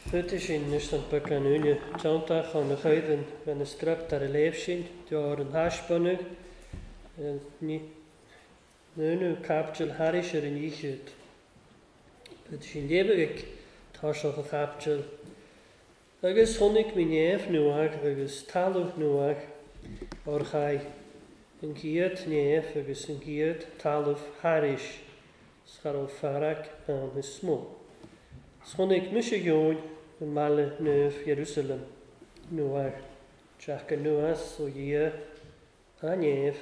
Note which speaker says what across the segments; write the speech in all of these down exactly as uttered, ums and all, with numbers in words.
Speaker 1: Fydd sin an becan úne teantach an na chuidan bheith na script ar a léamh sin, deor an thaispeánadh núnú caipiteal thairis ar an oíche. Fydd sin léamh ag taiseach an chaipiteal. Agus chonaic mé neamh nuach agus talamh nuach ar chaith an chéad neamh agus an chéad talamh thairis, 's cha raibh fearg ann is mó. 'S chonaic mise Eoin an mbaile naomh Ierúsalem nuach, teach anuas ó Dhia a neamh,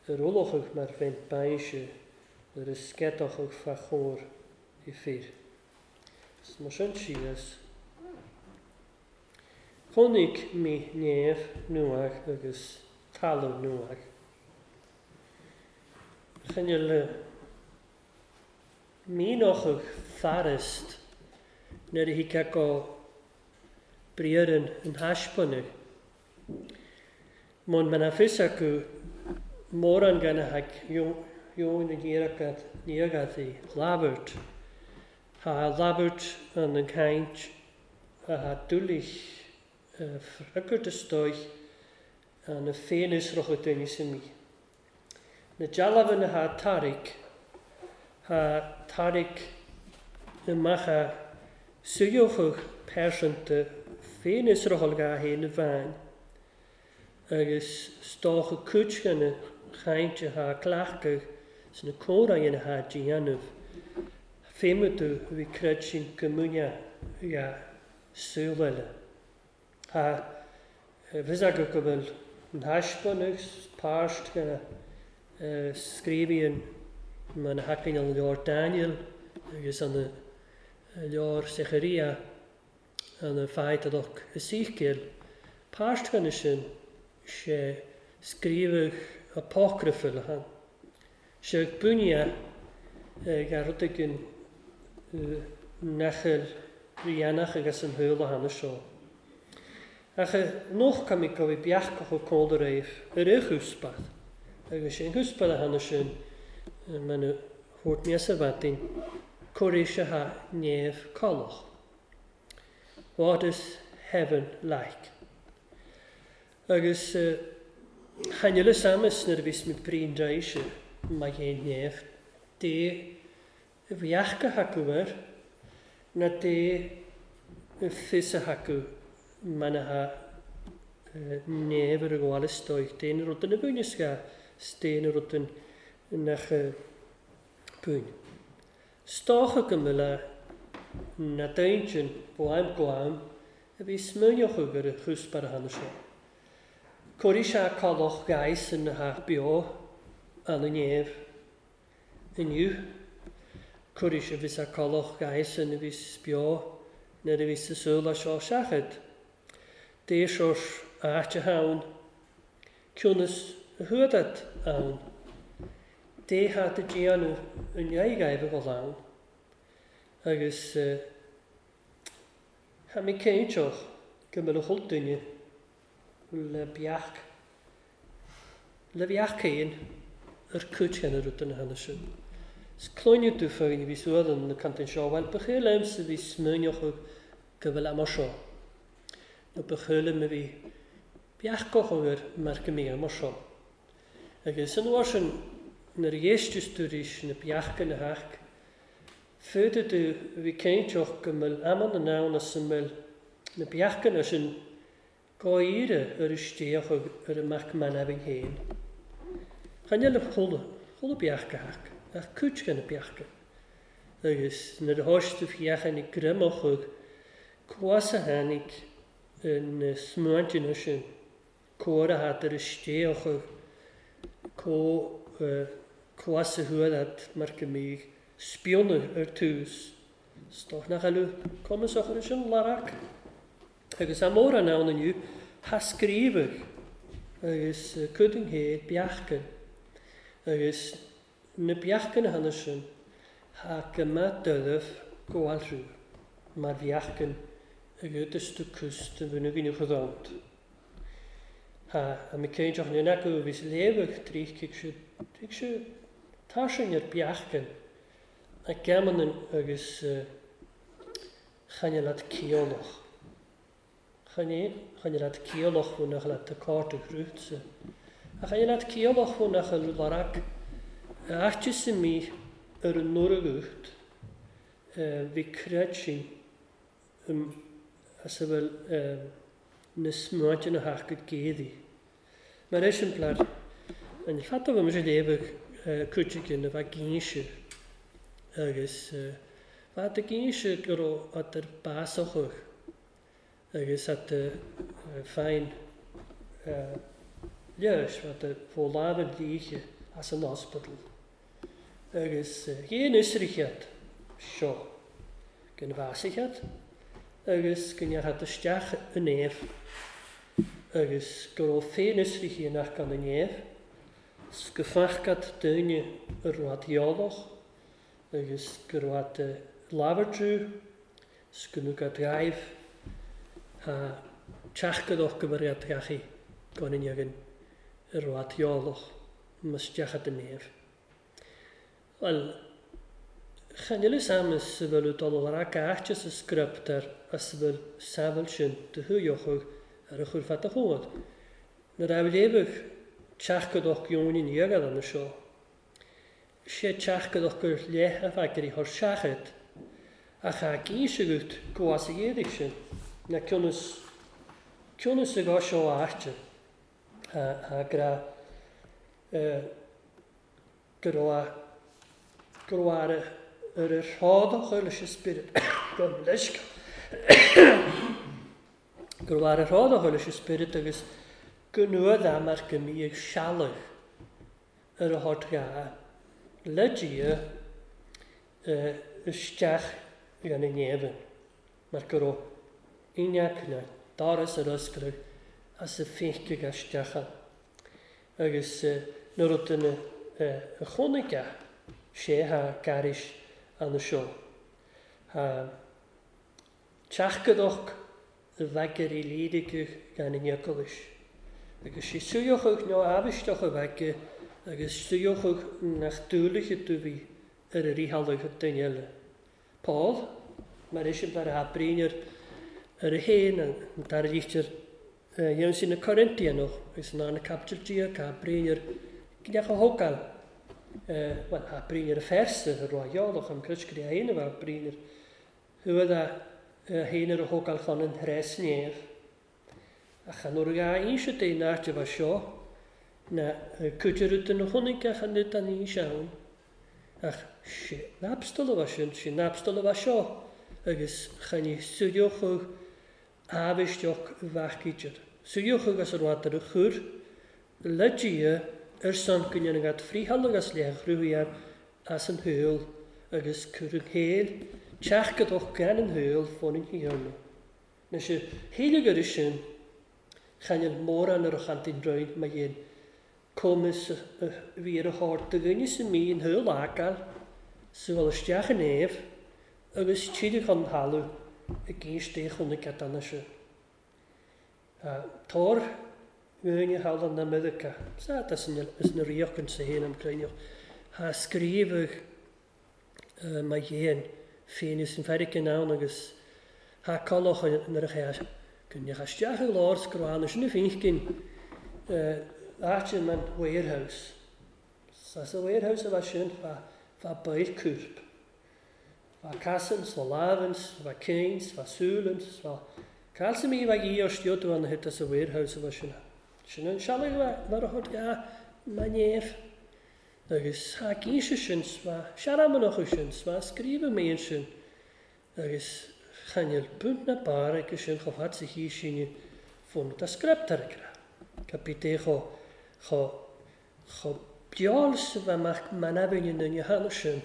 Speaker 1: ar ullmhóchadh mar bheinn bainse ar a sceadachadh fá chomhair i fir. 'S mar sin síos. Chonaic mé neamh nuach agus talamh nuach. Chinneal mínochadh fearist nuair a thig go briathrann an thaispeánadh. Mun mena fios acu mórán gan a thag Eoin an níagad i labhairt. Ha labhairt an an caint a ha dúlich freagairt istoigh an na féinfhiosrachadh duine sa mí. Na dealbhanna ha tarrac, ha tarrac amach a suíochadh pearsanta féinfhiosrachadh ga héin amháin, agus stóchadh cúiteanna chainte ha cleachtadh sna comhráin ha déanamh. Féimeadú a bhí creid sin go múineadh ga súil eile. Ha bhfios acu go bhfuil an thaispeánadh páirt gana scríobhaíonn mar na hacainn an leabhar Daniel agus an leabhar Secharia an fáidheadach Ezekiel. Páirt gana sin sé scríobhadh apocryphal han. Sé bunaithe ag rud éigin nachil rianach agus an húla hana seo. Ach noch go bhí beachach ó cóla réimh ar a chúspath. Agus sé an chúspath a hana sin mena thabhairt níos a bheith cuireadh sé ha neamh callach. What is heaven like? Agus chanile samas nuair a bhís mé bríon draise má dhéan neamh, dé a bheachcha acu air, na dé fios a acu mana ha neamh ar a ghabháil istoigh, dé na rudain a bhuaineas ga, 's dé na rudain nach buain. Stócha go mbeadh na daoine ó am go am a bhí smaoineochadh ar a chúspair a hana seo. Cuireadh sé callach gais in na ha beo an neamh inniu. Cuireadh sé bhí sé callach gais in a bhí beo nuair a bhí sa súla seo seachad. Dé seo áit a hain, ciúnas a thuadat ann. Dé hat a déanamh an aghaidh a dhul ann. Agus tha mé cinnteach go mbeadh a chuid duine le beach, le beach céin ar cúiteanna rud na hana sin. 'S cluineadh tú féin a bhí suad an na cantain seo, bhuel ba chéile liomsa a bhí smaoineochadh go bhfuil am seo. Nó ba chéile liom a bhí beachcochadh air mar go mbíodh mar seo. Agus san uair sin nuair a éisteas tú arís na beacha na hac, féadfaidh tú a bhí cinnteach go mbeadh amanna ann as a mbeadh na beacha sin gáire ar isteach ar a mac manabhainn féin. Chan eile chuala, chuala beacha hac, ach cúiteanna na beacha. Agus nuair a thoisigh tú féachaint ag greamachadh, cuas a tháinig na smaointeanna sin, cóir a hat ar isteach, cuas a thuadat mar go mbíodh spionadh ar tús. Stoch nach eile cumasach ar sin larac. Agus a mórán ann inniu ha scríobhadh agus cuid chéad beachcan. Agus na beachcan a hana sin ha go maith dóibh gabháil mar bheachcan agus tú cus de bhunú gine chodónt. Ha a mé céinteach na acu a bhís léamhadh trícigh sé tuig sé tá sin ar beachcan a geamanan agus Chan leat ciallach. Chan chan leat ciallach bhúnach leat a cárta grútsa. A chan leat ciallach bhúnach a larag áite sa mí ar an nuair bhí creid sin as a bhfuil na smáinte na hachcad géadaí. Mar eiseamplar, an fada bhí sé léamh cúitigin a bheith gínse agus bheith a gínse go raibh at ar básachach agus at féin leis bheith a fólámh líche as an hospital. Agus chéan isrichead seo gan bhásaichead agus go ndeartha isteach an éamh agus go raibh féin isriche nach gan an éamh go fachgad duine ar rud eolach agus go raibh labhartrú go nugad gaibh ha teachgadach go bhfuil gachaí gan an againn ar rud eolach mas teachad an éamh. Well, chan eile samas sa bhfuil dul ar áite sa scriptar as a bhfuil samhail sin de thuaidh ar a chur fada chomhad. Nuair a léamh teachgadach geoin iarraidh an seo. Sé teachgadach gur leith a bheith ar seachad ach a gcíse gut go as a dhéadaigh sin na cionnas cionnas a gá seo áite a gra go raibh go raibh ar ar rádach leis an spiorad go leis go raibh ar rádach leis an spiorad agus go nua mar go mí ag sealach ar a thort gá le Dia isteach gan an éamhan mar go raibh inneach na doras ar oscailt as a féice isteach agus nuair a duine a chónaigh sé ha gairis an seo. Ha teachgadach a bheith ar i lídice gan an eaglais. Agus sé suíochadh nó aibhisteach a bheith agus suíochadh nach dúlaithe do bhí ar a ríthealaigh duine eile. Paul, mar eiseamplar a bríon ar ar a héin an dara litir dhéanamh sin na Corintianach agus an arna capital Dia cá bríon ar gneach a thógáil. Well, a bríon ar a phearsa a raibh eolach am cruiscrí a héin a bheith bríon ar thuad a héin ar a thógáil chun an threis néamh. Ach an uair a inse dé náte bheith seo na cuidir den chonaic ach an nid an aois ann. Ach sé napstal a bheith sin, sé napstal a bheith seo agus chan i suíochadh aibhisteach bheachaítear. Suíochadh as ar bhad ar a chur le Dia ar son go ndéanann gad frítheal agus le chruthaíar as an shaol agus cur an chéil teachgadach gan an shaol fón an thiarna. Na sé héile gur sin chanel mórán ar a chantín roinn ma dhéan comas bhí ar a thort do dhuine sa mí an shaol ágáil sa bhfuil isteach an éamh agus tíre chun thalamh i gcéis dé chun na ceadanna sin. Tor dhuine thalamh na Meiriceá, sa is na ríoch an sa héin am cruinneach, ha scríobhadh ma dhéan féin is an feiricin ann agus ha collach nuair a cheas go ndeacha isteach i lár scrána sin na féinchinn áite man warehouse. Sa sa warehouse a bheith sin fa fa bail cúrp. Fa cassans, fa lavens, fa cins, fa súlens, fa calsa mí bheith í ar stiúd an hit sa warehouse a bheith sin. Sin an sealaigh mar a thug ga ma néamh. Agus ha gínse sin fa searamanach sin fa scríobh mé sin agus chanel punt na bar agus sin chomh fad sa chí sinne fón a scriptar gra. Capité cho cho cho beáil sa bheith amach manabhain na cheana sin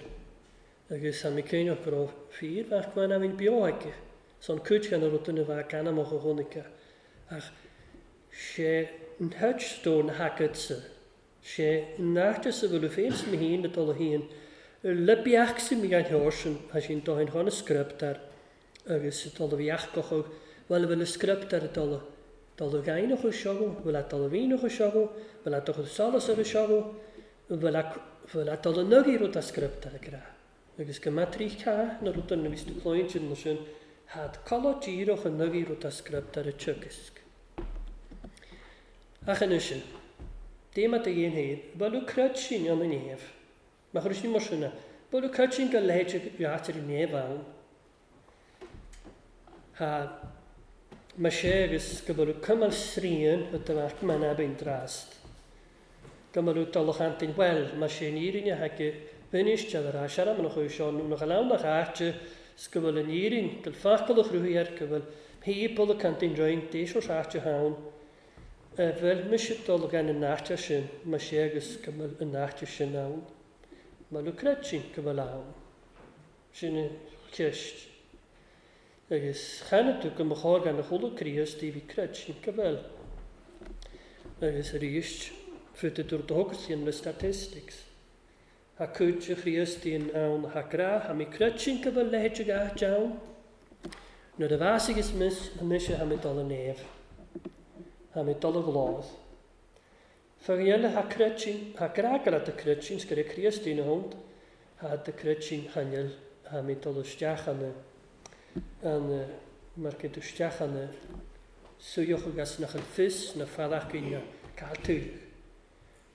Speaker 1: agus tá mé céineach go raibh fíor bheith manabhain beo aici. Son cuid gan a rud na bheith ganamach a chonaic ach sé an touchstone hacadsa. Sé náte sa bhfuil féin sa mí na dul a haon le beach sa mí an sin a sin dóin chun a scriptar agus sa dul a bheach go chug bhfuil bhfuil a scriptar dul dul a gaineach ó seogo, bhfuil a dul a bhíneach ó seogo, bhfuil a dul solas ar a seogo, bhfuil a bhfuil a dul a nugaí rud a scriptar a gra. Agus go matrí cá na rud na bhí tú clóin sin sin Had colo díreach an nugaí rud a script ar a teagasc. Ach anois, déama do dhéan féin, bhfuil creid sin an an neamh. Má chuir sin mar sin, bhfuil creid sin go leithéid áit ar an neamh ann. Ha ma sé agus go bhfuil cumal srian a do bheadh man abin drast. Go bhfuil dul chantain well, má sé an fhírinne haige bhinis de ar ais ar am an chuid seo nó nach leann áite 's go bhfuil an fhírinne, go bhfuil focal a chruthaí air, go bhfuil people a cantain roinnt, d'éis ó áite ann. Bhfuil mise dul gan an áite sin, má sé agus go bhfuil an áite sin ann. Má lu creid sin go bhfuil ann. Sin an cheist. Agus cheana tú go mba chóir gan a chuala Críost í bhí creid sin go bhfuil. Agus arís, fút a dúirt do thugas le statistics. Ha cuid de Chríostaíonn ann ha grá, ha mí creid sin go bhfuil leithéid ag áit ann. Nuair a bheas agus mis, mise ha mé dul an neamh. Ha mé dul a ghlóð. Fágann eile ha creid sin, ha grá go leat a creid sin, 's gur ag Críostaíonn a hond, ha do creid sin chainneal, ha mé dul isteach an an mar go isteach an suíoch agus nach an fios na fadachcaí na cailtúil.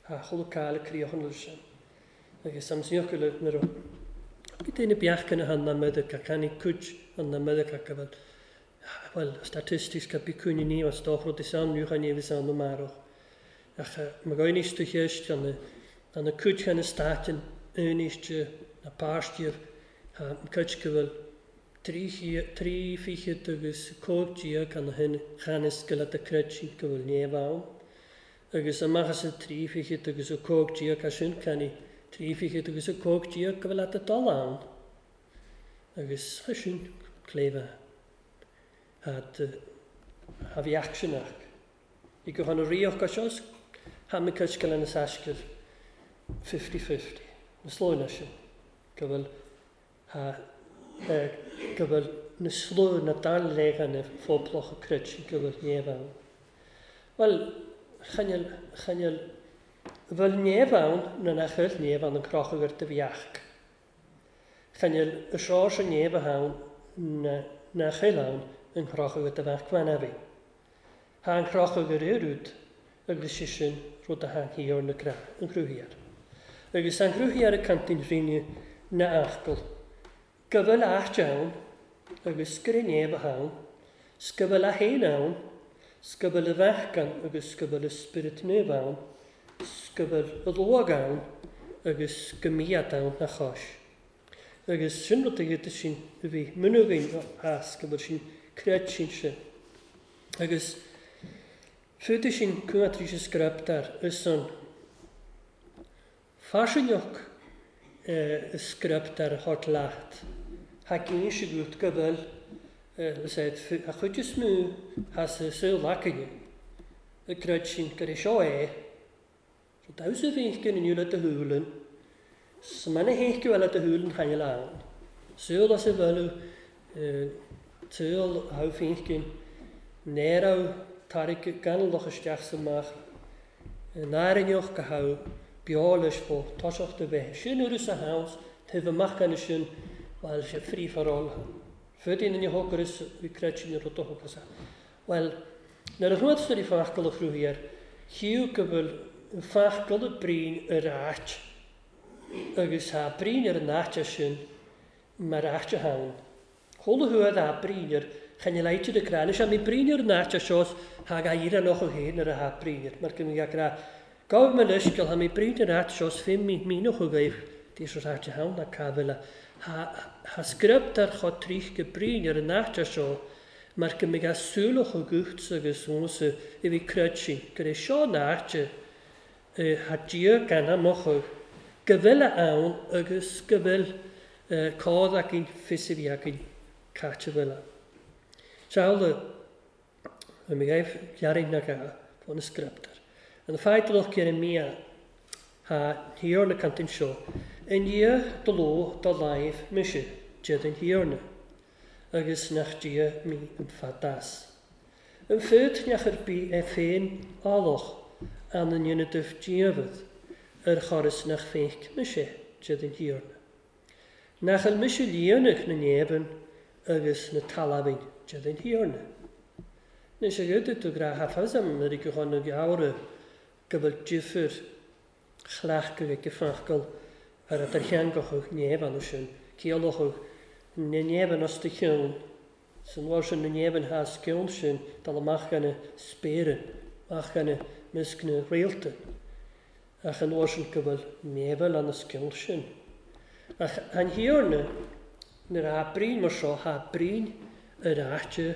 Speaker 1: Ha chuile cáil críochan leis sin. Agus am síoch le nuair a bhí daoine beachcanna an na Meiriceá, ceannaigh cuid an na Meiriceá go bhfuil well, statistics go bí cúine ní as dá rud is ann nuair ní bhís ann amárach. Ach ma gainíos tú cheist an an na cuid na státin uníiste na páistíobh ha cuid go bhfuil trí trí fichead agus cóig déag an hin chanis go le do creid sin go bhfuil neamh ann. Agus amach as an trí fichead agus a cóig déag as sin ceannaigh trí fichead agus a cóig déag go bhfuil leat a dul ann. Agus sin cléibhe had ha bhí actionach. I go chun a ríoch go seo, ha mé cuid go lena saiscir fifty fifty. Na slóna sin. Go bhfuil ha go bhfuil na sló na dal légan na phobloch a creid sin go bhfuil neamh ann. Well, chainneal, chainneal, bhfuil neamh ann na nach bhfuil neamh ann an crochadh ar do bheach. Chainneal y seo sin neamh ann na nach bhfuil ann an crochadh ar do bheach fan a bhí. Ha an crochadh ar rud agus sé sin rud a tháinig thiar na gra, an chruthaíocht. Agus an chruthaíocht a cantain rinne na achcail. Go bhfuil áit ann agus gur neamh ann, 's go bhfuil a haon ann, 's go bhfuil a bheach ann agus go bhfuil a spiorad naomh ann, 's go bhfuil a luag ann agus go mbíodh ann na chois. Agus sin rud a iad sin a bhí munúgain as go bhfuil sin creid sin sin. Agus fúda sin cúnatrí sa script ar is an faisineach script ar thort leat. Ha cín sé gut go bhfuil a chuid is mó has a saol lacaine. A creid sin gur é seo é. So damhsa bhí in iúla do húlan. S mana héic eile do húlan chainneal ann. Saol as a bhfuil saol há féinceann néará tairg ganalach isteach sa amach. Nárinneoch go há beo leis fó toiseacht a bheith. Sin uair sa house, taobh amach gan sin bhfuil sé free for all. Fudín in thógar is bhí creid sin rud a thógas. Well, nuair a chuad sa rí fachcail a chruthaíocht, chiú go bhfuil fachcail a brín ar áit agus ha brín ar an áite sin mar áite ann. Chuala thuad a brín ar chan leite de grá. Is mé brín ar an áite seo ha ga ir an och héin ar a ha brín ar. Mar go mé grá gabh me leis go ha mé brín ar áit seo fé mí mínoch go gaibh dí seo áite ann na cá bhfuil ha ha script ar chod trích go brín ar an áite seo mar go mé ga súlach o gucht agus ónsa i bhí creid sin gur é seo an áite ha Dia gan amoch go bhfuil ann agus go bhfuil cád againn fios a bhí againn caite bhfuil. Seála a mé gaibh gearrainn na ga fón na scriptar. An fáidalach Jeremia ha thiarna cantain seo in Dia do ló do láimh mise dead an thiarna agus nach Dia mí an fadas. An fud neach ar bí é féin áloch an an ionadaibh díobhad ar choras nach féinc mise dead an thiarna. Nach an mise líonach na neamhan agus na talamhain de den Thiarna. Anois a gcuid tú gra hafazam ar go chun na geabhra go bhfuil difear chleachtadh ag fachgal ar a theangachadh neamh sin, ciallachadh na neamh as do cheann, san uair sin na neamh has ceann sin dul amach gan spéire, amach gan measc na réalta, ach an uair sin go bhfuil neamh an ceann sin. Ach an Thiarna, nuair a brín mar seo, ha brín ar áite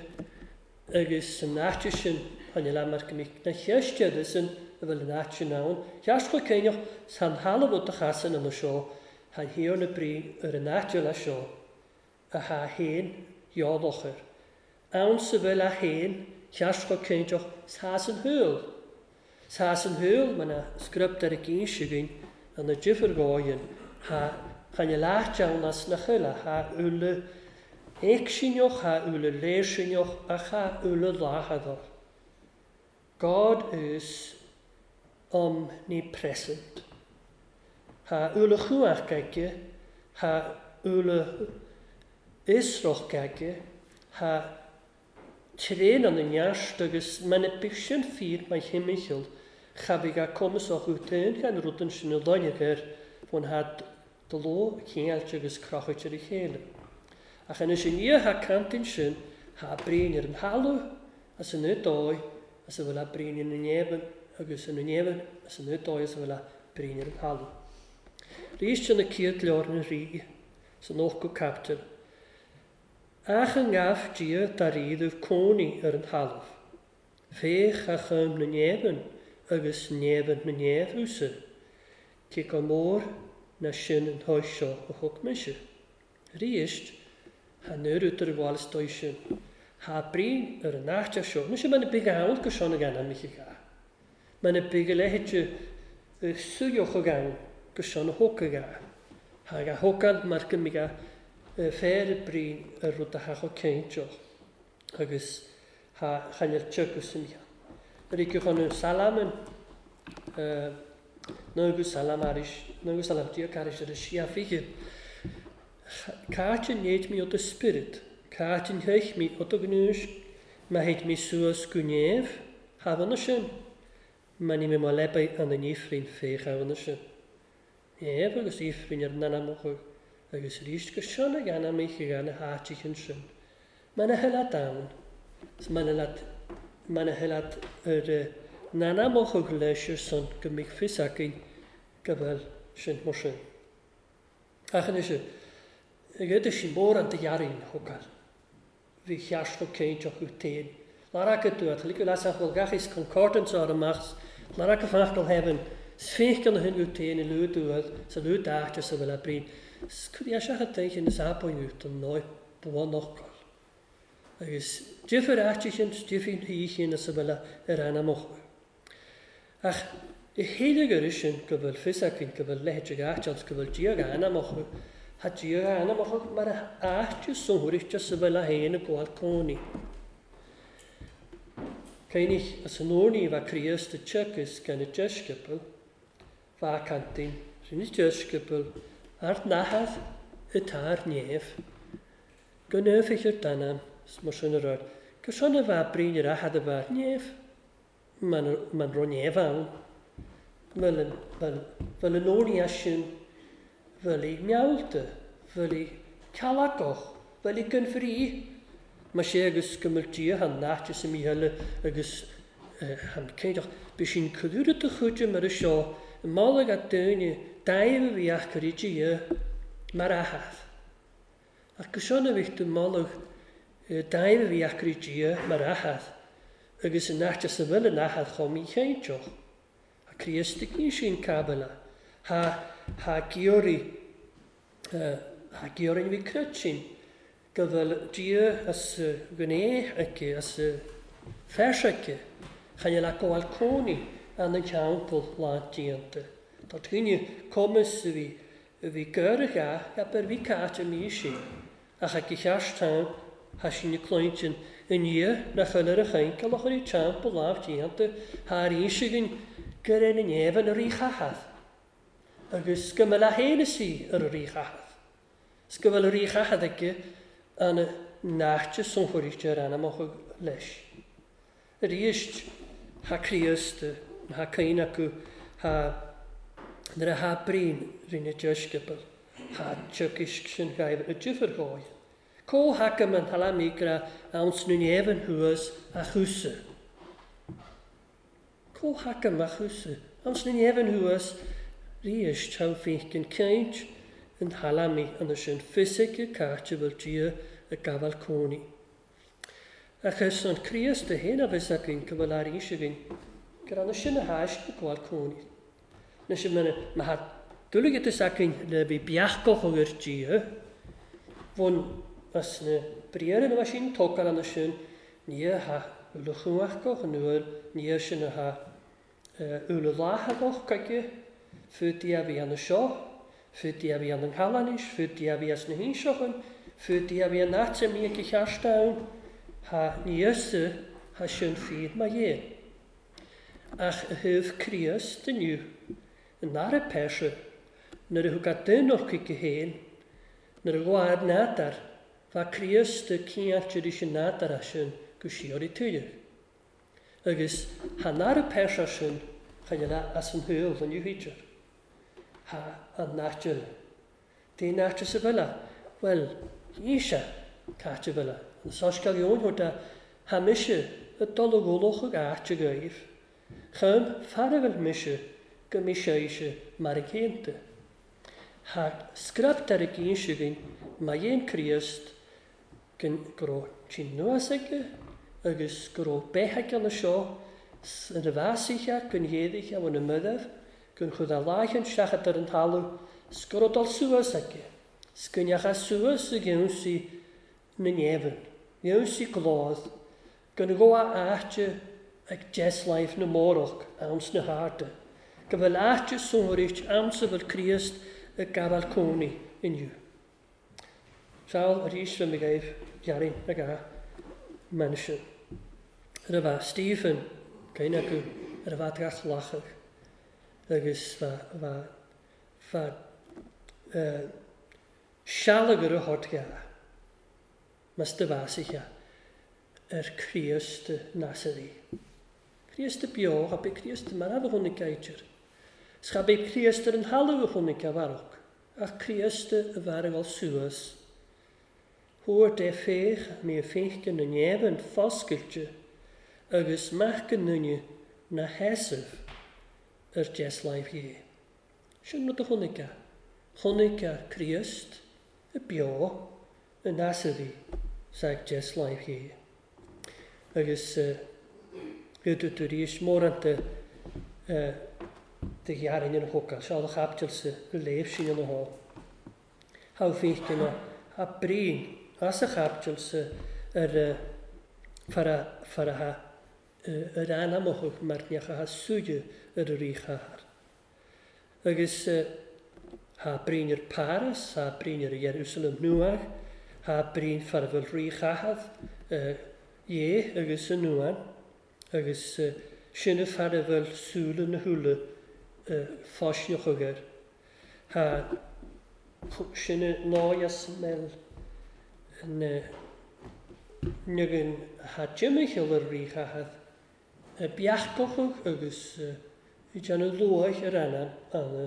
Speaker 1: agus san áite sin tháinig le mar go mbeadh na cheisteada sin a bhfuil an áit sin ann. Cheart go céineach san thalamh do chasan ina seo, han Thiarna brín ar an áite le seo, a ha haon dhealachar. Ann sa bhfuil a haon, cheart go céineach sa san thuil. Sa san thuil man a script ar a gcinn siúin an na difear gáin, ha chan leat ann as na chuile, ha uile éicsinneach, ha uile léirsinneach, ach ha uile láthadach. God is omnipresent. Ha uile chuach aige, ha uile isroch aige, ha tréan an neart agus mana bith sin fíor mar thimcheall, cha bhí ga cumasach útain gan rudan sin na loinnech air faoin had de ló chéilte agus crochait ar a chéile. Ach anois i ndiaidh ha cantain sin, ha brín ar an thalamh as an dóigh as a bhfuil a brín ina neamh agus ina neamh as an dóigh as a bhfuil a brín ar an thalamh. Rís sin na céad leabhar na rí san ochtú caipiteal. Ach an gabh Dia dá ríomh cónaí ar an thalamh. Féach a chum na neamh agus neamh na neamh thusa, cé go mór na sin an thois seo a thug mise. Ríist, ha nuair útar a bhfuil is dóigh sin, ha brín ar an áite seo. Ní sé mana big ann go seo na gan an miche ga. Mana big a leithéide suíoch a gan go seo na hóca ga. Ha ga hócáil mar go mbeidh a féar brín ar rud a theach ó céinteach agus ha chainneal teagas san cheann. Ar go chun an salaman nó salam aris, nó salam dia caris ar a sia fiche. Cáit an néid mi ó do spirit, cáit an theich mi ó do gnúis, ma heit mi suas go neamh, ha sin, ma ní mé má lebai an an ifrin féach ha sin. Neamh agus ifrin ar nanamach agus ríst go seanna gan mich gan háitichin sin. Mana helat ann, mana leat mana helat ar nanamach leis ar son go mich fios againn go bhfuil sin mar sin. Ach anois, ag sin mór an de thógáil. Bhí cheart go céinteach go téin. Lar go dúat, liú leas bhfuil gach is concordance ar amach, lar go fachgal heaven, sféiceann na hin go téin i lú dúad, sa lú dáte sa bhfuil a brín. Cúd é seach a teichin is apoinút an náid buanachgal. Agus difear áitichin, difear híchin is a bhfuil ar anamach. Ach i chéile gur sin go bhfuil fios againn go bhfuil leithéid áit go bhfuil Dia anamach, ha Dia anamach mar a áite sonthúireachta sa bhfuil a haon a gabháil cónaí. Céinich as an uair bha Críost a teagas gan a deisceapail, bha cantain rinne deisceapail ar nathad atá ar neamh, go neamhich ar danam, mar sin a rud, go sin a bha brín ar athad a bha ar neamh, man ro neamh ann, bhfuil an uair as sin, bhfuil i nealta, bhfuil i cealagach, bhfuil i gan bhrí, mar sé agus go mbeadh Dia han náite sa mícheile agus han céideach. Bhí sin cúlra do chuide mar a seo, i mála a daoine daimh a bhí ach gur Dia mar athad. Ach go seo a bhí tú mála daimh a bhí ach gur Dia mar athad, agus an náite sa bhfuil an athad chomh míchéinteach. Ha Críost ag ní sin cabala, ha ha giorri, ha giorri bhí crut sin, go bhfuil Dia as gné aici, as feis aici, chan le gabháil cónaí an an teampall lántíonta. Tá daoine cumas a bhí a bhí gurach a, ar bhí cáit a mí sin, ach ag cheart tam, ha sin na cluintin i ndiaidh nach bhfuil ar a chainceal a chur i teampall lántíonta, ha arís againn gur ar an neamh an ríchathad, agus go mbeadh a haon is í ar a ríchathad. Is go bhfuil a ríchathad aici an naite sonchuiríte ar anamach leis. Arís ha Críost, ha cain acu, ha nuair a ha brín rinne deisceabal, ha teagasc sin gaibh a difear dhóibh. Có haca an thalamígra ann sna neamhan thuas a chúsa. Có haca a chúsa ann sna neamhan thuas ríis tau féinceann caint an thalamaí an sin fisice caite bhfuil Dia ag gabháil cónaí. Agus an Críost a haon a bheas againn go bhfuil arís againn gur ann sin a tháis ag gabháil cónaí. Anois má tá dúlaigh againn le bhí beachach ar Dia, bhun as na briathra na sin tógáil ann sin ní ha uile chumhachach an uair ní sin a ha uile láthach chuige, fút a bhí ann seo, fút a bhí an Chalanis, fút a bhí as na hInseachan, fút a bhí an áit a mbíodh a cheart ann, ha níosa ha sin fíd mar dhéan. Ach a thaobh Críost inniu, an dara peirse, nuair a thug a duine chuige féin, nuair a ghabh nádar, bha Críost a cinnte leis an nádar sin go síoraí tuilleadh. Agus ha an dara peirse sin chun as an shaol an inniu. Ha an nátir. Dé nátir sa bhile? Bhuel, ní sé cáite bhile. An soiscéal Eoin thuair de ha mise ag dul a ghualach ag áit a ghaibh. Chum fear a bhfuil mise go mí sé mar a céanta. Ha scrap ar a gcinn againn má dhéan Críost go raibh tí nuas aige agus go raibh beith aige na seo ina bheasaithe gon ghéadaithe bhfuil na mudamh gon chud a láicheann seachad ar an talamh 's go raibh dul suas aige, 's go ndeacha suas ag ionsaí na neamhan, ionsaí glód, gon ghabh áite ag deasláimh na mórach ann sna harda, go bhfuil áite sonraicht ann sa bhfuil Críost ag gabháil cónaí inniu. Seal arís bhí mé gaibh dhearfainn ag a mbean sin. Ar a bheith Stephen, cén acu ar a bheith gach lachach, agus bheith sealagar a thabhairt dhá, mas do bheasaithe ar Críost Nasarí. Críost beo, cha bith Críost marbh a chonaic aitear. 'S cha bith Críost ar an thalamh a chonaic a mharach, ach Críost a bhearr suas. Thuair dé féach mé a féince na neamhan foscailte agus mac go nduine na sheasamh ar deasláimh dhé. Sin rud a chonaic a. Chonaic a Críost a beo a Nasarí sa deasláimh dhé. Agus uh, tú arís móranta uh, de ghearrainn an choca, seo a chaiptil go léamh sin ina há. Thá féince na ha brín as a chaiptil sa ar fara fara ha ar anamach mar neacha ha súide ar a ríchathair. Agus ha brín ar Paris, ha brín ar Jerusalem nuach, ha brín fara bhfuil ríchathair dhé agus an nuan, agus sinne fara bhfuil súile na húla fáisneach air. Ha sinne náias mel na nugan ha jimichil ar ríchathair beachcochach agus i déanamh luaith ar anam anna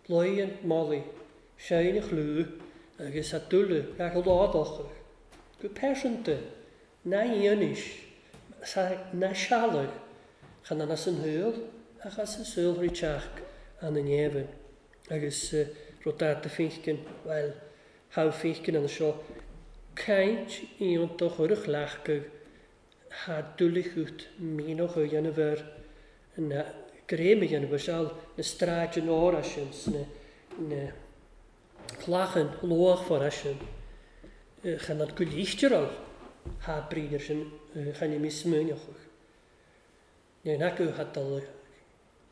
Speaker 1: loigheann Molly séin a chlú agus a dúla gach ládochach go pearsanta na dhéanais na sealadh chan an as an shaol ach as an saol rí teach an an neamhan agus rud a féinceann bhuel thá féinceann an seo caint iontach ar a chleachtadh ha dúlachucht mínoch a dhéanamh ar na gréim a dhéanamh ar seal na stráid an óra sin sna na clachan luachmhara sin chan an go líchterál ha bríar sin chan i mí smuineachach. Ní acu ha dul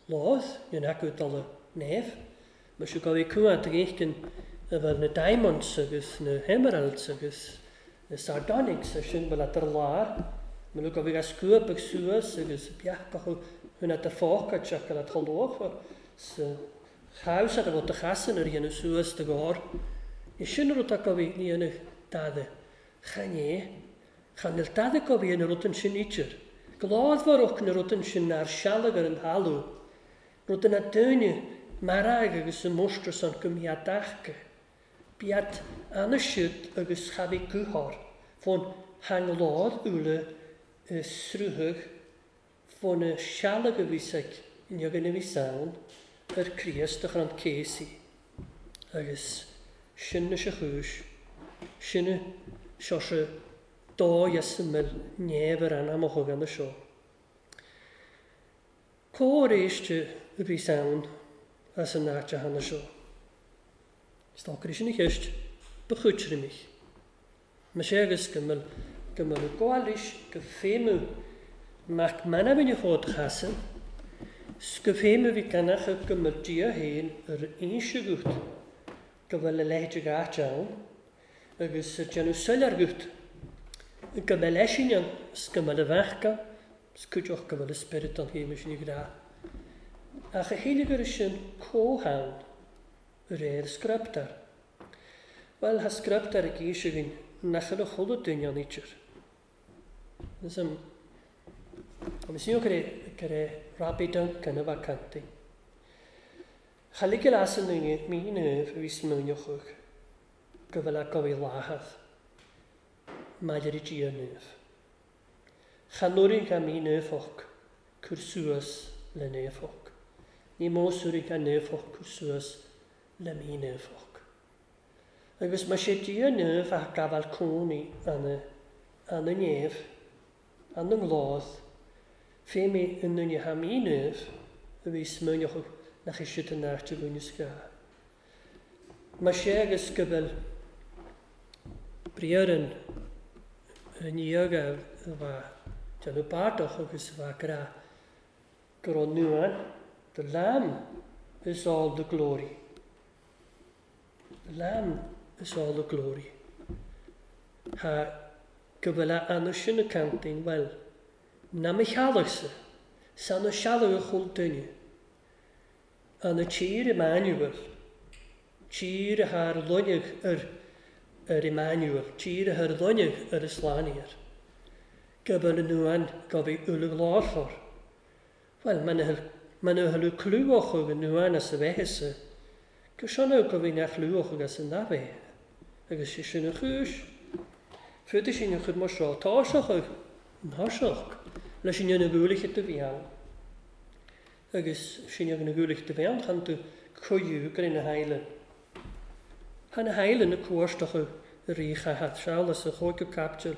Speaker 1: láth, ní acu dul neamh, mar seo go bhí cuat ag éiceann a bhfuil na diamonds agus na emeralds agus na sardonyx ar sin bhfuil ar lár, mar go bhí scuab ag suas agus beachach hun at fácad seach go luachmhar sa chaus ar a bhfuil de chasan ar dhéanamh suas de gár. Is sin rud a go bhí ní dhéanamh dada. Chan é, chan il dadaig a bhí an rud sin idir. Gládmharach na rud sin ar sealg ar an thalamh, rud na daoine marag agus an mostar san go mbíodh. Bíad anna siúd agus cha bhí guthár fón hanglád uile sruthach fón na sealg a bhí ag inniu a bhí ann ar Chríost a chur an céasaí. Agus sin na se chúis, sin seo se dá is mil neamh ar an am a thugann na seo. Cóir éiste a bhí ann as an áit a hana seo. Is sin a cheist ba chuitre mich. Ma sé agus go mbeadh go mbeadh gáilis go féimiú Mac manabin chód chasan, 's go féimiú bhí ganach go mbeadh Dia féin ar inse gut go bhfuil a leithéid áit ann agus déanamh soiléir gut go mbeadh leisin ann 's go mbeadh a bheacha 's cuideoch go bhfuil a spiorad an chéime sin grá. Ach a chéile gur sin comhtheann réir scrioptar. Well, ha scrioptar ag éis againn nach ina chuile duine an ítir. Is am Agus ní go go Robbie Duncan a bheith cantaí. Cha ligil as an duine mí naomh a bhí smaoineochadh go bhfuil a gabhaí láthach maidir i Dia naomh. Cha nuair ga mí naomhach cur suas le naomhach. Ní mósúir ga naomhach cur suas le mí naomhach. Agus má sé Dia naomh a gabháil cónaí anna anna néamh, anna ngláth, fé mé an duine ha mí naomh a bhí smaoineochadh nach é siad an áit a bhain is gá. Má sé agus go bhfuil briathar an an dhiaga a bheith déanamh bardach agus a bheith grá go raibh nuan, the Lamb is all the glory. The Lamb is all the glory. Ha go bhfuil a anna sin a cantain, well, na me chealachsa, san na sealach a chul duine. Anna tír Emmanuel, tír a thar loinnech ar ar Emmanuel, tír a thar loinnech ar y slániar. Go bhfuil an nuan go bhí uilig láfar. Well, man a thuilleadh clúach ag an nuan as a bheithese, go sena go bhí nach clúach agus an nabé, agus sé sin a chúis. Fuide sin a chud mar seo táiseach ag náiseach leis sin na gúlaithe do bhí ann. Agus sin na gúlaithe do bhí ann chan tú cuiú gur ina heile. Ha na heile na cuairteacha a rí chahat seálas a chóice captail.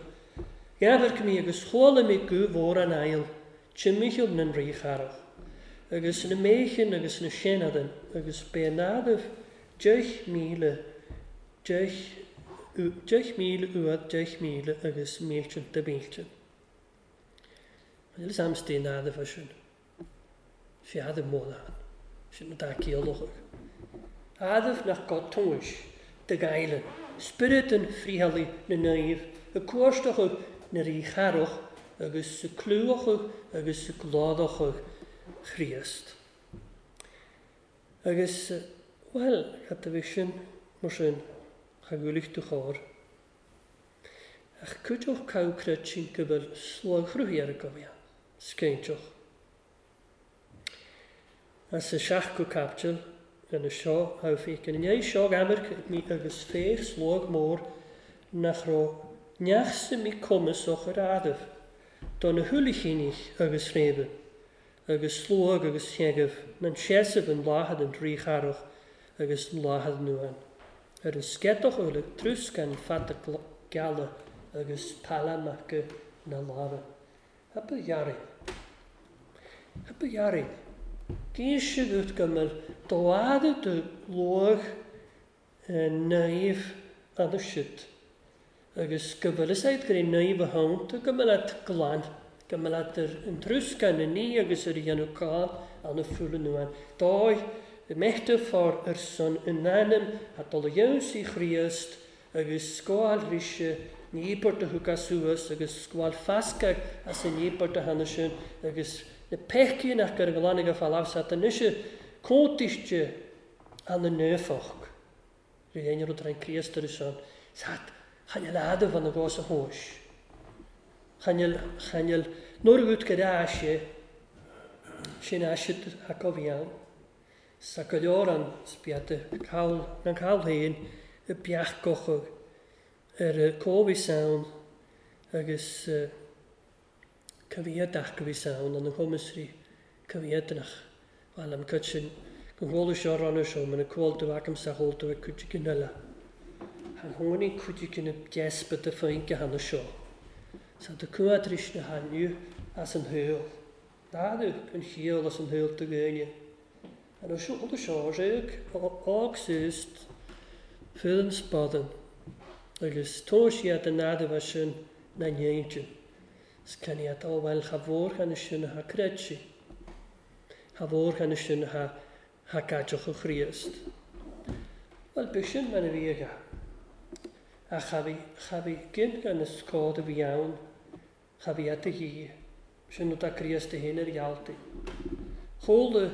Speaker 1: Gheamhair mí agus chuala mé go mhór an ail, timimicheall na rí charach. Agus na méchin agus na séanadan agus bé nádaimh deich míle deich deich míle uad deich míle agus mílte de mílte. Níl am stí nádaimh sin. Fiadaimh módán. Sin na dá céalachach. Adaimh nach go tomhais de gailen. Spiorad an fríthalaí na naomh, a cuairteacha na rí charach agus sa clúachach agus sa gládachach Chríost. Agus, well, cad a bhí sin mar sin, cha gcuiligh tú chóir. Ach cuideoch cabhcreid sin go bhfuil sloghrúthaí ar a gobhaí, scéinteach. As a seach go captail, ina seo thabhfaí ina ndiaidh seo amarc mí agus féach slóg mór nach raibh neach sa mí cumasach ar adaimh, do na huilichinich agus fréimhe, agus slóg agus sheagamh, nan seasamh an láthad an rí charach agus an láthad nuan. Ar an sceadach uilig trúscan fada geala agus palamacha na lámha. Hapa ghearrain. Hapa ghearrain. Gís gut go mbeadh dóada do luach naomh anna siúd. Agus go bhfuil is gur é naomh a thonnta go mbeadh glan, go mbeadh ar an trúscan na ní agus ar dhéanamh cáil anna fúla nuan. Dóigh meichte fár ar son in ainm a dul a dhéanamh Chríost agus scáil ríse níobairt a thug as suas agus scáil fascach as an níobairt a tháinig sin agus na peicín nach gur glannaigh a fáil anois cótaiste anna naofach. Rí aon rud ar an Chríost ar son. Sat Chan il adamh an gos a thóis. Chan il, chan il, nuair a gut go ase, sin ase a bhí ann. Sa go leor an spiata cael, na cael féin y beach gochog ar y cófi sawn agus uh, cyfiadach gyfi sawn ond yn chomysri cyfiadnach. Wel am cytsin go bhfuil seo ranna seo mae'n y cwald o ac am sa hol do cuid gynella. Han honi cuid gynna despa de feinke hanna seo. Sa de cuadris na hannu as an heul. Nadu an chiol as an heul de gynne. En og seo seo rug og sust full spaden. Agus tó siad an nada sin na ndéinte. Scan iad ó bhfuil cha mhór chan sin ha creidsi. Ha mhór chan sin ha ha gadeoch o Chríost. Wel, beth sin man a bhí aige. A cha bhí cha bhí gin gan is cód a bhí ann, cha bhí at a hí, sin nó Críost a héin ar ghealtaí. Chóla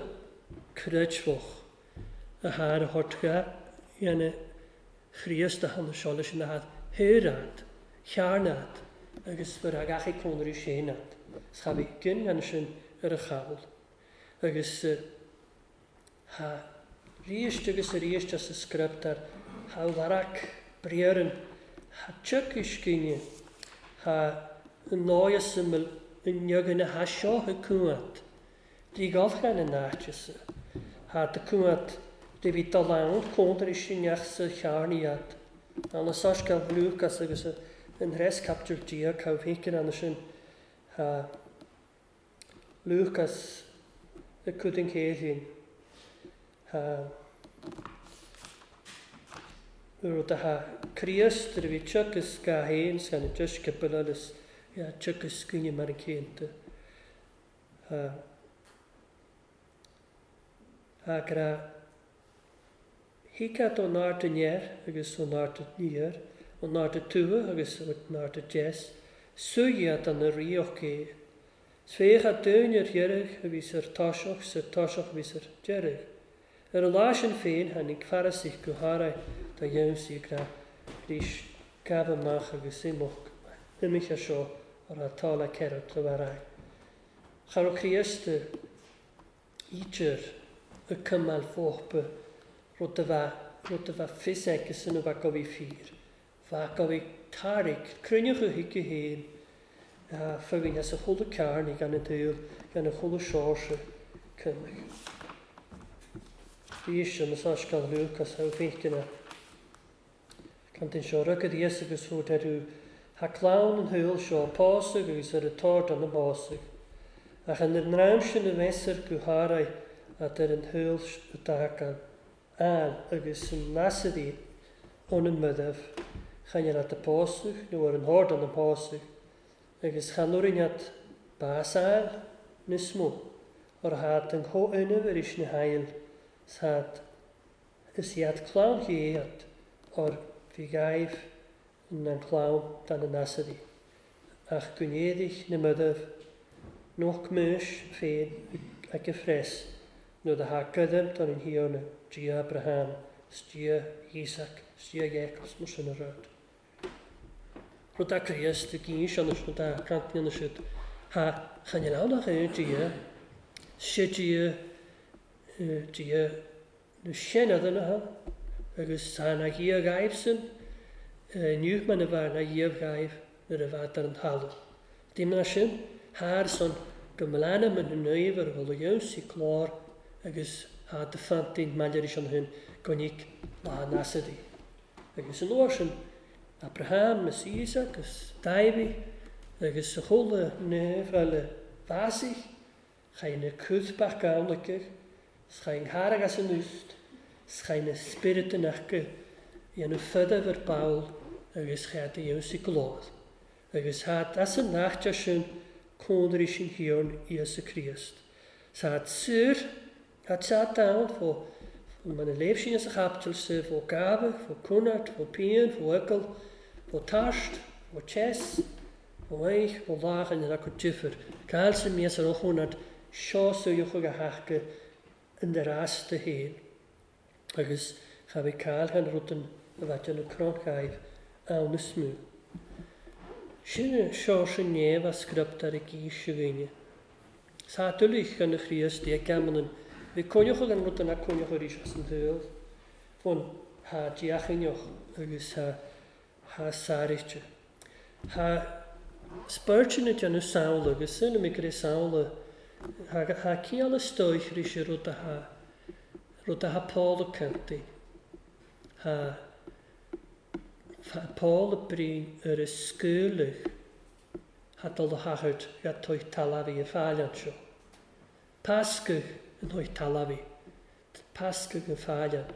Speaker 1: creidfeoch a thar a thortga dhéanamh Chríost a hanna seo leis na had héiread, chearnad, agus bhur a gachaí cónarí séanad. Cha bhí gin gan sin ar a chabhail. Agus uh, ha ríist agus a ríist as a scriptar, ha larac briaran, ha tsuc ha nóias yn niogan a ha seo ha cwad. Dí galchan yn náitse. Ha de cwad de bhí dul cóntar i sinneach sa chearniad. An a sascail Lucas agus an res captur dia cá bhícin an sin ha Lucas y cwd yn céilín. Ha rud a ha Críost a bhí tsucas ga héin san a just cipil ja tsucas gynne mar an céanta. Ha ha gra Hicat ó nárt an neir agus ó nárt an níor, ó nárt an tuath agus ó nárt an deas, suiad an na ríoch é. Sféach a dúin ar dheireadh a bhí ar táiseach, sa táiseach a bhí ar deireadh. Ar an lá sin féin tháinig Farisich go háirithe do dhéansaí gra rís gabh amach agus imeacht imithe seo ar atá le ceithre do bheith. Cha raibh Críost ítear y cymal fóchpa rud a bheith rud a bheith fios aici san a bheith go bhí fíor. Bheith go bhí tairg, cruinneach a thuig héin, fugain as a chuile cearnaigh gan an dúil, gan a chuile seoirse cymach. Bhí sin na sascail Lucas ha bhícina. Cantain seo rugad Íosa agus thuair aru ha clann an thuil seo pásag agus ar a tord an na básag. Ach an ar ndream sin a mheasar go háirithe at ar an thuil atá an agus an nasadaí ón an mudamh, chan ar at a pásag nó ar an hord an na pásag, agus chan orin at básáil níos mó, ar hat an chomhionamh ar is na hail, hat is iad clann chéad ar bhí gaibh an an clann dan na nasadaí. Ach gwneudich na mudamh, noch mys féin ag y ffres, nó da ha gydym don yn hiona, Dia Abraham, Dia Isaac, Dia Jacob, mar sin a rud. Rud a Críost y gyn sian ys rud a cantnian ys ha chan i'n awnach ein Dia, se Dia, Dia na sianad yna ha, agus ha na gia gaif sy'n, niwch ma'n y far na gia gaif na'r y fad ar yn halw. Dim na sin, haar son gymlana ma'n hynnyf ar ôl y iawn sy'n clor agus ha dy ffantin malir is an hyn gonig la nasadi. Agus yn o'r sin Abraham, is Isaac, is David, agus y chwle nef fel y fasig, chain y cwthbach gawnligach, chain harag as yn wst, chain y spirit yn achge, i yn y ffydaf yr bawl, agus chaid y iawn sy'n glod. Agus had as yn nacht sin cónr is yn hiorn Iesu Christ. Sa had sur, had sat down fo man y leef sin as a chaptel se fo gabe, fo cwnart, fo pian, fo ygl, fo tast, fo chess, fo eich, fo lach yn yr acw difyr. Cael sy'n mis ar ochwnart sio sy'wch ag a hachge yn yr as dy hen. Agus cha fi cael gan rwdyn y fadyn y cron gaif ann is mó. Sin Seoirse Néamh a scriopt ar a gcís a dhaoine. Sa tuilleadh gan a Chríost é ceamann bhí coinneocha gan rud nach coinneocha arís as an tsaol. Fón thá deachainneoch agus thá thá sáraíte. Thá spóirteanna déanamh samhla agus sin mé go samhla thá thá ciall is dóich arís ar rud a thá rud a thá Paul ag caint Thá thá Paul ag brí ar a scaoileadh thá dul a thagairt ga toigh talamhaí a fáil anseo. Pascadh an thoigh talamhaí. Pascadh an fáileann.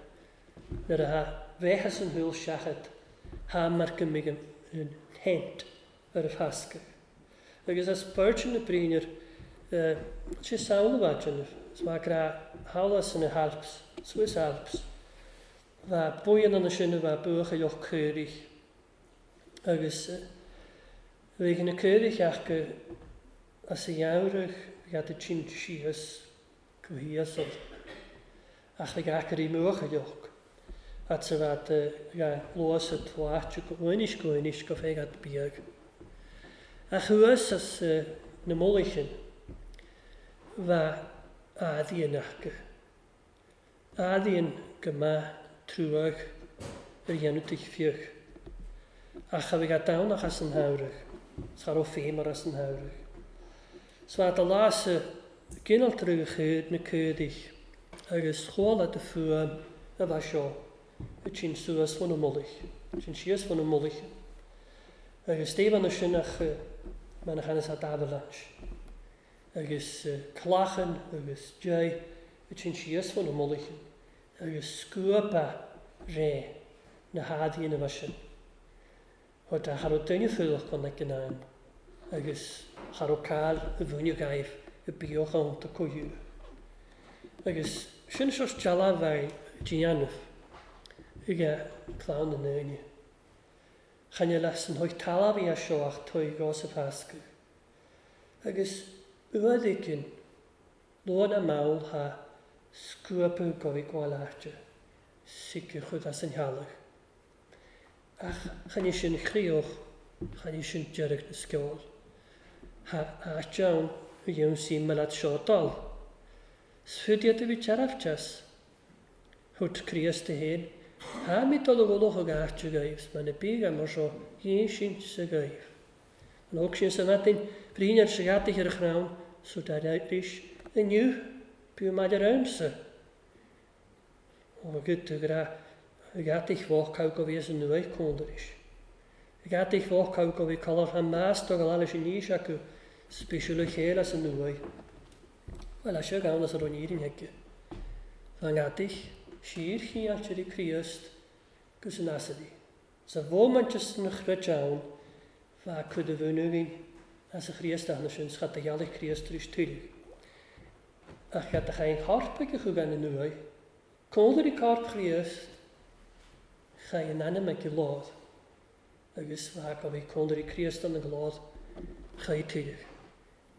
Speaker 1: Nuair a thá bheith as an shúil seachad thá mar go mbeidh an hent ar a phascadh. Agus as beirt na brínear sé samhla bha déanamh. Is maith grá thall as na hAlps, Swiss Alps. Bha buíon ann sin a bha buachailleach caorach. Agus bhí na caorach acu as a gheamhrach bhí iad ag tint síos go híosal. Ach bhí acu i mbuachailleach. At sa bheith ga luas at bháite go uinis go uinis go féig at beag. Ach thuas as na mullaichin bha eadaíon acu. Eadaíon go maith truag ar dhéanamh tuig fiach. Ach a bhí ga domhnach as an shamhradh. Cha raibh féimar as an shamhradh. 'S bha a lása ginealtar a chuid na cuidigh agus chuala de fuaim a bha seo a tsin suas fan na mullaich, sin síos fan na mullaich. Agus Stephen na sinach man a at avalanche. Agus clachan agus jai a tsin síos fan na mullaich. Agus scuaba ré na hadaí na bha sin. Thá cha raibh duine fuadach gan ag an am. Agus cha raibh cáil i bhfuinne gaibh i bíoch ann do cothú. Agus sin seo teala bheith déanamh ag clann na ndaoine. Chan leis an thuig talamh seo ach tuig gos a phascadh. Agus uaid éigin, luath na mall thá scuapadh go bhí gabháil áite, siceadh chud as an theallach. Ach chan sin chríoch, chan sin deireadh na sceol. Thá áit ann a dhéanamh sí me leat seo dul. 'S fud iad a bhí tearfteas. Thut Críost a héin, thá mé dul a gholach ag áit a gaibh, 's man a bígh mar seo dhéin sin sa gaibh. An óg sin sa mhaidin, bhríon ar sa gheataigh ar a chrann, so dar arís, inniu, bíodh maidir ann-sa. Ó go tú gra gheataigh bhócáil go bhí as an nuaigh cóndaris. Gheataigh bhócáil go bhí color han meas do go leis an níos acu spéisiúil a chéile as an nuaigh. Bhuel, seo gann as a raibh nírin aige. Bha gheataigh siar chiáiltear i Críost gus an asadaí. Sa mhóimint is na chruit ann, bha cuid a bhúnúgin as a Chríost athna sin, schat a ghealaigh Críost tar éis tuilleadh. Ach gheat a chain chorp ag a chugan na nuaigh, cóndair i corp Chríost, chaith an ainm ag lád, agus bha go bhí cóndair i Críost an ag lád, chaith tuilleadh.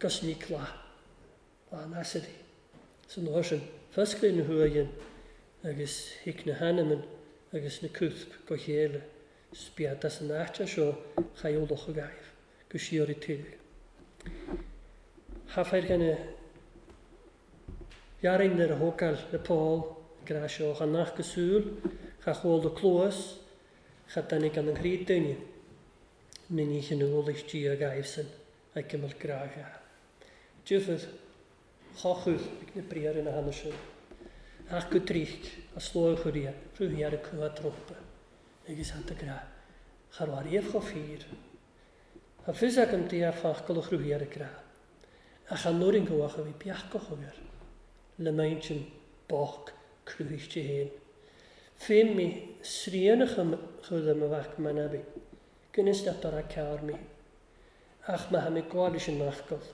Speaker 1: Gus ní cla, bha an asadaí. San uair sin, fosclaí na huaighin agus thuig na hainmn agus na cúth go chéile, spiad as an áite seo chaith eolach a gaibh, go siar i tuilleadh. Chaithfear gan a dhearfainn ar a thógáil le Paul, grá seo cha nach cosúil, cha chuala do cluas, cha duine gan an chroí duine, na ní an eolais Dia gaibh san ag cimeal grá gha. Dúfad chochúil ag na briathra ina hana sin. Ach go trícht a slóigh chuirí rúthaí ar a cumha trompa agus hanta grá. Cha raibh ariamh chomh fíor. Tá fios agam Dia fachcail a chruthaí ar a grá. Ach an nuair an gabhach a bhí beachach air, le m'intinn bocht cruthaíte féin. Féin mé srianach chuile mo mhac manabi, gcuinis leat ar a cearr mé. Ach má tha mé gabháil leis an nachcail,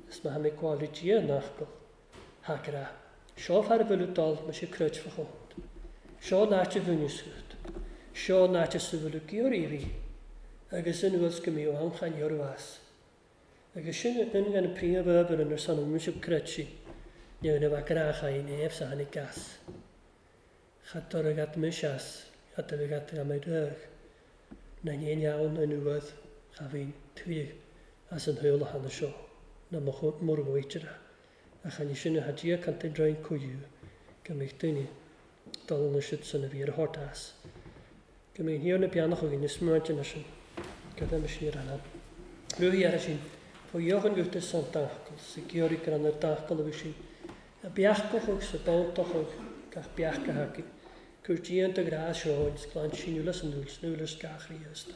Speaker 1: is má tha mé gabháil le Dia an nachcail, thá grá. Seo fear a bhfuil dul mar sé cruit fa chónt. Seo an áit a bhúineascút. Seo an áit a sa bhfuil géar bhí, agus anuas go mbíodh anchain ormhas. Agus sin an gan príomh-obair ar son an muise cruit ní na bheith grá néamh sa tháinig gas. Cha dtor agat mis as, cad a bheith agat am rög. Na ní ann an uaimh cha bhíonn tuilleadh as an shaol a thána seo ná mura bhfaightear é. Ach chan é sin atá Dia canta draoi cuidiú go mbeidh daoine dul ina siad san a bhí ar a short as. Go mbeidh an Thiarna beannach againn is smaointe sin go bhfeimis ní an. Ruí ar sin fá dheochan guta san dachal sa georí gan ar dachal a bhí sin a beachach sa bántach gach beachcha haci. Cur díanta grá seo glan síúla san dúil snúlas gach riasta.